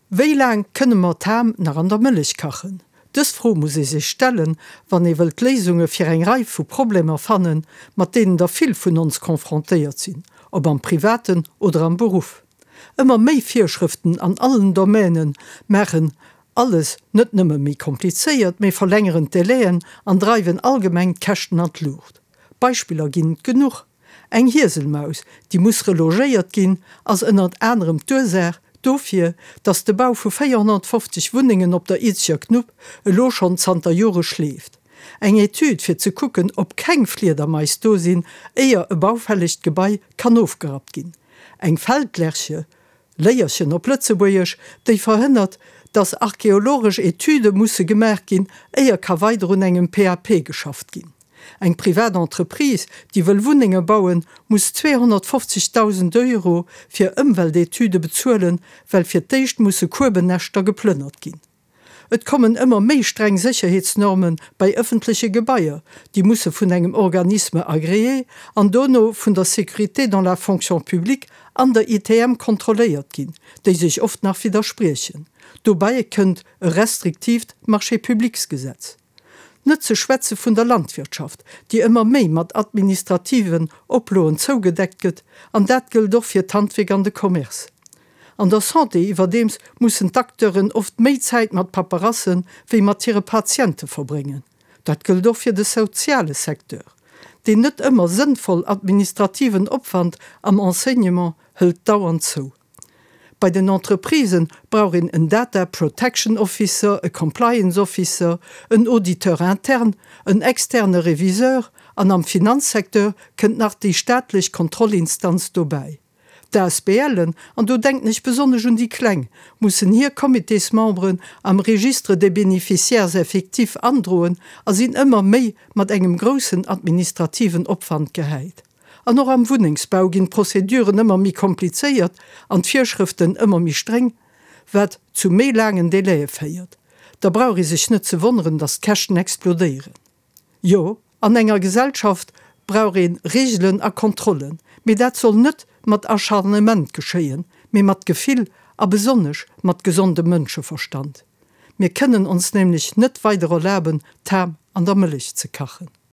Wéi laang kënne mer d'Ham nach an der Mëllech kachen? Dës Fro muss ee sech stellen, wann ee wëllt Léisunge fir eng Rei vu Problemer fannen, mat deenen der vill vun ons confrontéiert sinn, ob am Privaten oder am Beruff. Ëmmer méi Virschrëften an allen Domäne maachen alles net nëmme méi komplizéiert, mee verlängeren d'Délaiën an dreiwen allgemeng d'Käschten an d'Luucht. Beispiller ginn et genuch. Eng Hieselmaus, déi muss relogéiert ginn, ass ënnert anerem d'Ursaach dofir, datt de Bau vu 450 Wunnengen op der Izeger Knupp elo schonn zanter Jore schleeft. Eng Etüd fir ze kucken, ob keng Fliedermais do sinn, éier e baufällegt Gebai kann ofgerappt ginn. Eng Feldlerche, Léierchen op Lëtzebuergesch, déi verhënnert, datt archeologesch Etüde musse gemaach ginn, éier ka weider un engem PAP geschafft ginn. Eng privat Entreprise, déi wëll Wunnenge bauen, muss 250.000 Euro fir Ëmweltetüde bezuelen, well fir d'éischt musse Kuebennäschter geplënnert ginn. Et kommen ëmmer méi streng Sécherheetsnorme bei ëffentleche Gebaier, déi musse vun engem Organisme agréé an dono vun der Sécurité dans la fonction publique an der ITM kontrolléiert ginn, déi sech oft nach widderspriechen. Dobäi kënnt e restriktiivt Marché-publics-Gesetz. Net ze schwätze vun der Landwirtschaft, déi ëmmer méi mat administrativen Oploen zougedeckt gëtt, an dat gëllt och fir d'Handwierk an de Commerce. An der Santé iwwerdeems mussen d'Acteuren oft méi Zäit mat Paperasse wéi mat hire Patiente verbréngen. Dat gëllt och fir de soziale Secteur. Deen net ëmmer sënnvoll administrativen Opwand am Enseignement hëlt dauernd zou. Bei den Entreprisë brauch een en Data Protection Officer, e Compliance Officer, en Auditeur interne, en externe Reviseur an am Finanzsecteur kënnt nach déi staatlech Kontrollinstanz dobäi. D'ASBLen, an do denken ech besonnesch un déi kleng, mussen hir Comitésmemberen am Registre des bénéficiaires effectifs androen a sinn ëmmer méi mat engem groussen administrativen Opwand gehäit. An och am Wunnengsbau ginn d'Prozeduren ëmmer méi komplizéiert an d'Virschrëften ëmmer méi streng, wat zu méi laangen Délaië féiert. Da brauch ee sech net ze wonneren, datt d'Käschten explodéieren. Jo, an enger Gesellschaft brauch ee Reegelen a Kontrollen, mee dat soll net mat Acharnement geschéien, mee mat Gefill a besonnesch mat gesondem Mënscheverstand. Mir kënnen ons nämlech net weider erlaben, d'Ham an der Mëllech ze kachen.